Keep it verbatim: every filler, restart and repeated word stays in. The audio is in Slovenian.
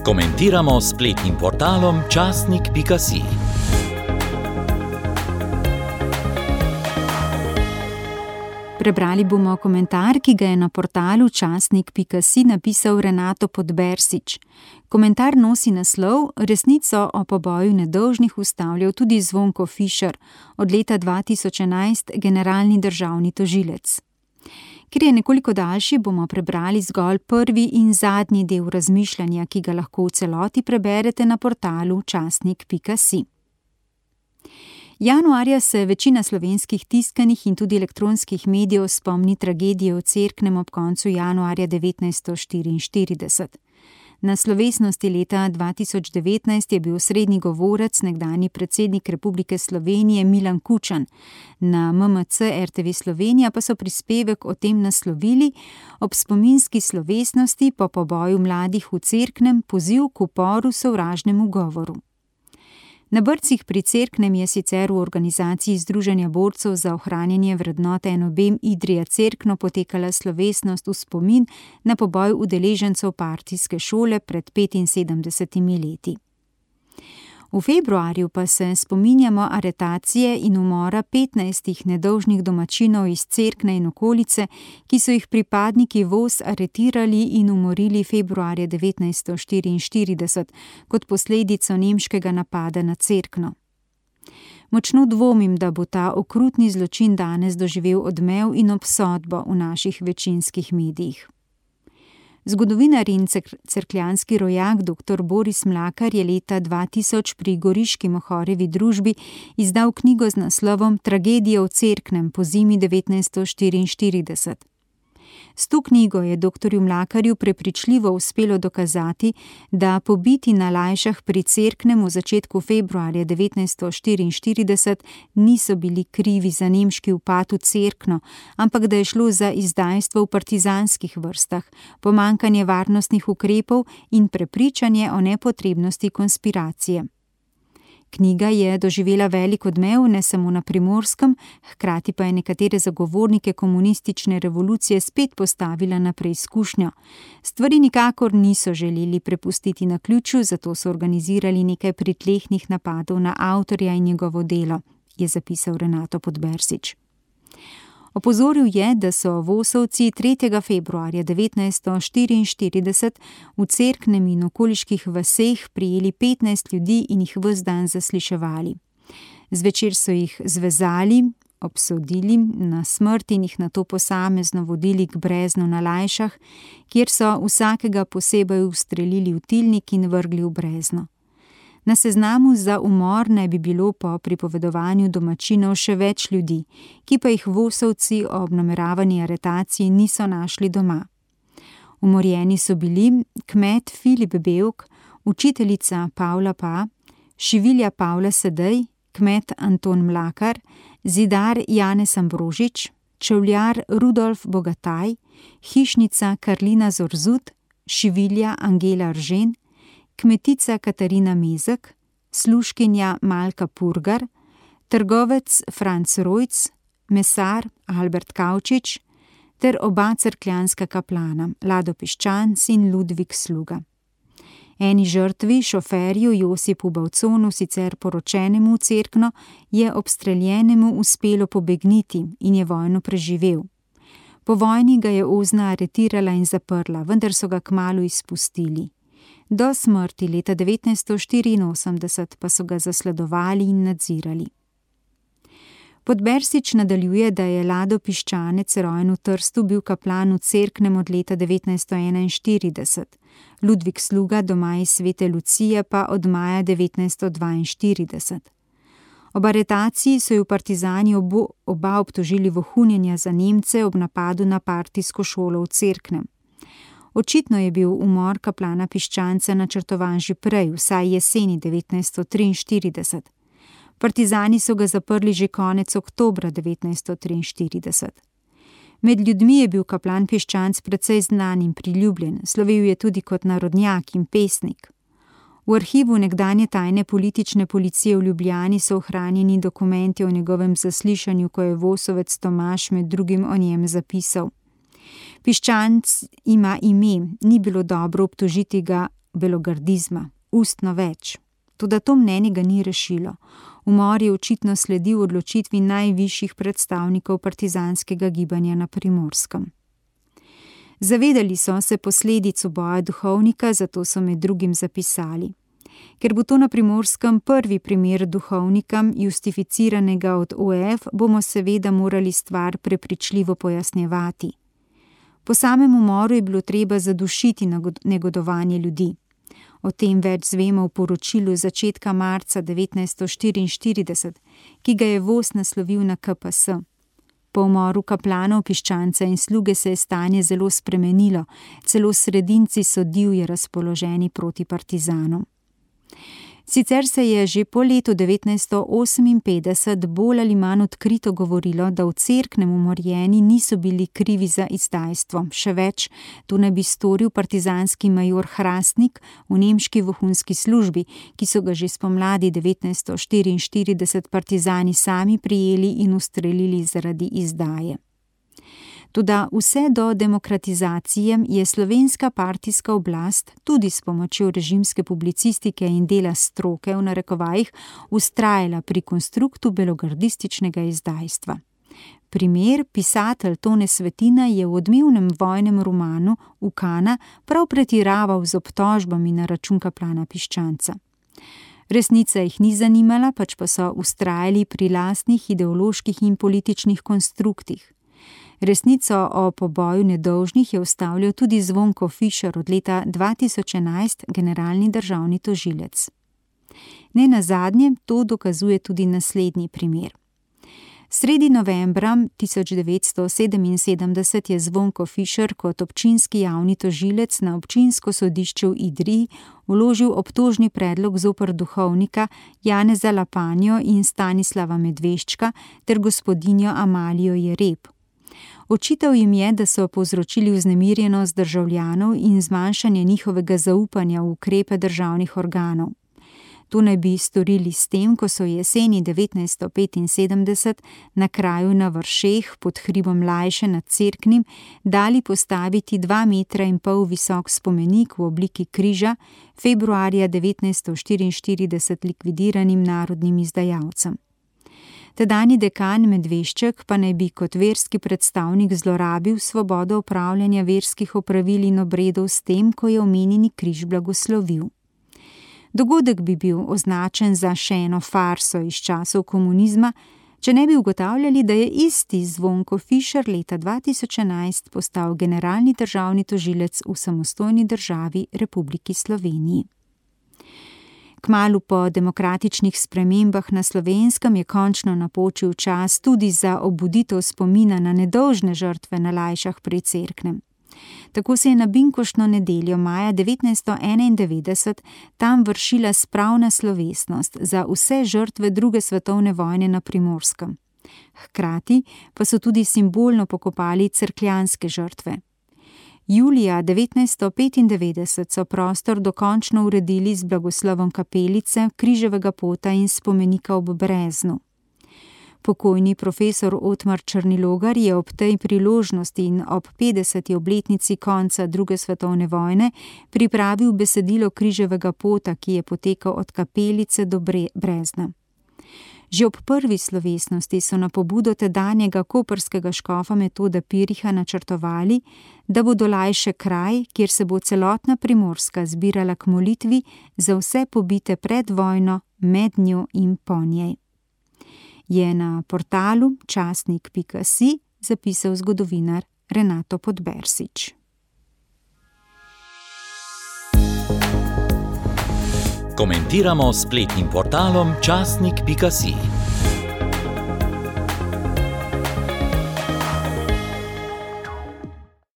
Komentiramo s spletnim portalom časnik pika si. Prebrali bomo komentar, ki ga je na portalu časnik pika si napisal Renato Podbersič. Komentar nosi naslov Resnico o poboju nedolžnih ustavljal tudi Zvonko Fišer, od leta dva tisoč enajst generalni državni tožilec. Ker je nekoliko daljši, bomo prebrali zgolj prvi in zadnji del razmišljanja, ki ga lahko v celoti preberete na portalu časnik pika si. Januarja se večina slovenskih tiskanih in tudi elektronskih medijev spomni tragedije v Cerknem ob koncu januarja devetnajststo štiriinštirideset. Na slovesnosti leta dva tisoč devetnajst je bil osrednji govorec nekdanji predsednik Republike Slovenije Milan Kučan. Na M M C R T V Slovenija pa so prispevek o tem naslovili ob spominski slovesnosti po poboju mladih v Cerknem poziv k uporu sovražnemu govoru. Na Brcih pri Cerknem je sicer v organizaciji Združenja borcev za ohranjanje vrednot N O B Idrija Cerkno potekala slovesnost v spomin na poboj udeležencev partijske šole pred petinsedemdesetimi leti. V februarju pa se spominjamo aretacije in umora petnajstih nedolžnih domačinov iz Cerkna in okolice, ki so jih pripadniki V O S aretirali in umorili februarja devetnajststo štiriinštirideset kot posledico nemškega napada na Cerkno. Močno dvomim, da bo ta okrutni zločin danes doživel odmev in obsodbo v naših večinskih medijih. Zgodovinar in cerkljanski rojak dr. Boris Mlakar je leta dva tisoč pri Goriški Mohorjevi družbi izdal knjigo z naslovom Tragedija v Cerknem po zimi devetnajststo štiriinštirideset. S to knjigo je doktorju Mlakarju prepričljivo uspelo dokazati, da pobiti na Lajšah pri Cerknem v začetku februarja devetnajststo štiriinštirideset niso bili krivi za nemški upad v Cerkno, ampak da je šlo za izdajstvo v partizanskih vrstah, pomanjkanje varnostnih ukrepov in prepričanje o nepotrebnosti konspiracije. Knjiga je doživela velik odmev ne samo na Primorskem, hkrati pa je nekatere zagovornike komunistične revolucije spet postavila na preizkušnjo. Stvari nikakor niso želeli prepustiti naključju, zato so organizirali nekaj pritlehnih napadov na avtorja in njegovo delo, je zapisal Renato Podbersič. Opozoril je, da so vosovci tretjega februarja devetnajststo štiriinštirideset v Cerknem in okoliških vaseh prijeli petnajst ljudi in jih ves dan zasliševali. Zvečer so jih zvezali, obsodili na smrt in jih nato posamezno vodili k Breznu na Lajšah, kjer so vsakega posebej ustrelili v tilnik in vrgli v Brezno. Na seznamu za umor naj bi bilo po pripovedovanju domačinov še več ljudi, ki pa jih vosovci ob nameravani aretaciji niso našli doma. Umorjeni so bili kmet Filip Bevk, učiteljica Pavla Pa, šivilja Pavla Sedej, kmet Anton Mlakar, zidar Janez Ambrožič, čevljar Rudolf Bogataj, hišnica Karlina Zorzut, šivilja Angela Ržen, kmetica Katarina Mezek, služkinja Malka Purgar, trgovec Franc Rojc, mesar Albert Kavčič ter oba cerkljanska kaplana, Lado Piščanc in Ludvik Sluga. Eni žrtvi, šoferju Josipu Bavconu, sicer poročenemu v Cerkno, je obstreljenemu uspelo pobegniti in je vojno preživel. Po vojni ga je Ozna aretirala in zaprla, vendar so ga kmalu izpustili. Do smrti leta devetnajststo štiriinosemdeset pa so ga zasledovali in nadzirali. Podbersič nadaljuje, da je Lado Piščanec, rojen v Trstu, bil kaplan v Cerknem od leta devetnajststo enainštirideset, Ludvik Sluga doma iz Svete Lucije pa od maja devetnajststo dvainštirideset. Ob aretaciji so ju partizani obo, oba obtožili vohunjenja za Nemce ob napadu na partijsko šolo v Cerknem. Očitno je bil umor kaplana Piščanca načrtovan že prej, vsaj jeseni devetnajststo triinštirideset. Partizani so ga zaprli že konec oktobra devetnajststo triinštirideset. Med ljudmi je bil kaplan Piščanc precej znan in priljubljen, slovel je tudi kot narodnjak in pesnik. V arhivu nekdanje tajne politične policije v Ljubljani so ohranjeni dokumenti o njegovem zaslišanju, ko je Vosovec Tomaž med drugim o njem zapisal: Piščanc ima ime, ni bilo dobro obtožiti ga belogardizma, ustno več. Toda to mnenje ga ni rešilo. Umor je očitno sledil odločitvi najvišjih predstavnikov partizanskega gibanja na Primorskem. Zavedali so se posledic uboja duhovnika, zato so med drugim zapisali: ker bo to na Primorskem prvi primer duhovnika, justificiranega od O F, bomo seveda morali stvar prepričljivo pojasnjevati. Po samem umoru je bilo treba zadušiti negodovanje ljudi. O tem več zvemo v poročilu začetka marca devetnajststo štiriinštirideset, ki ga je Vos naslovil na K P S. Po umoru kaplanov, piščanca in sluge se je stanje zelo spremenilo, celo sredinci so divje razpoloženi proti partizanom. Sicer se je že po letu devetnajststo oseminpetdeset bolj ali manj odkrito govorilo, da v Cerknem umorjeni niso bili krivi za izdajstvo. Še več, to naj bi storil partizanski major Hrastnik v nemški vohunski službi, ki so ga že spomladi devetnajststo štiriinštirideset partizani sami prijeli in ustrelili zaradi izdaje. Toda vse do demokratizacije je slovenska partijska oblast, tudi s pomočjo režimske publicistike in dela stroke v narekovajih, vztrajala pri konstruktu belogardističnega izdajstva. Primer, pisatelj Tone Svetina je v odmevnem vojnem romanu Ukana prav pretiraval z obtožbami na račun kaplana Piščanca. Resnica jih ni zanimala, pač pa so vztrajali pri lastnih ideoloških in političnih konstruktih. Resnico o poboju nedolžnih je ustavljal tudi Zvonko Fišer, od leta dva tisoč enajst generalni državni tožilec. Ne nazadnje to dokazuje tudi naslednji primer. Sredi novembra tisoč devetsto sedeminsedemdeset je Zvonko Fišer kot občinski javni tožilec na občinsko sodišče v Idriji vložil obtožni predlog zoper duhovnika Janeza Lapanjo in Stanislava Medveščka ter gospodinjo Amalijo Jereb. Očital jim je, da so povzročili vznemirjenost državljanov in zmanjšanje njihovega zaupanja v ukrepe državnih organov. To naj bi storili s tem, ko so jeseni devetnajststo petinsedemdeset na kraju na Vršeh pod hribom Lajše nad Cerknim dali postaviti dva metra in pol visok spomenik v obliki križa, februarja devetnajststo štiriinštirideset likvidiranim narodnim izdajalcem. Tedanji dekan Medvešček pa naj bi kot verski predstavnik zlorabil svobodo opravljanja verskih opravil in obredov s tem, ko je omenjeni križ blagoslovil. Dogodek bi bil označen za še eno farso iz časov komunizma, če ne bi ugotavljali, da je isti Zvonko Fišer leta dva tisoč enajst postal generalni državni tožilec v samostojni državi Republiki Sloveniji. Kmalu po demokratičnih spremembah na Slovenskem je končno napočil čas tudi za obuditev spomina na nedolžne žrtve na Lajšah pri Cerknem. Tako se je na binkoštno nedeljo maja devetnajststo enaindevetdeset tam vršila spravna slovesnost za vse žrtve druge svetovne vojne na Primorskem. Hkrati pa so tudi simbolno pokopali cerkljanske žrtve. Julija devetnajststo petindevetdeset so prostor dokončno uredili z blagoslovom kapelice, križevega pota in spomenika ob Breznu. Pokojni profesor Otmar Črnilogar je ob tej priložnosti in ob petdeseti obletnici konca druge svetovne vojne pripravil besedilo križevega pota, ki je potekal od kapelice do Brezna. Že ob prvi slovesnosti so na pobudo tedanjega koprskega škofa Metoda Piriha načrtovali, da bodo Lajše kraj, kjer se bo celotna Primorska zbirala k molitvi za vse pobite pred vojno, med njo in po njej. Je na portalu časnik pika si zapisal zgodovinar Renato Podbersič. Komentiramo s spletnim portalom časnik pika si.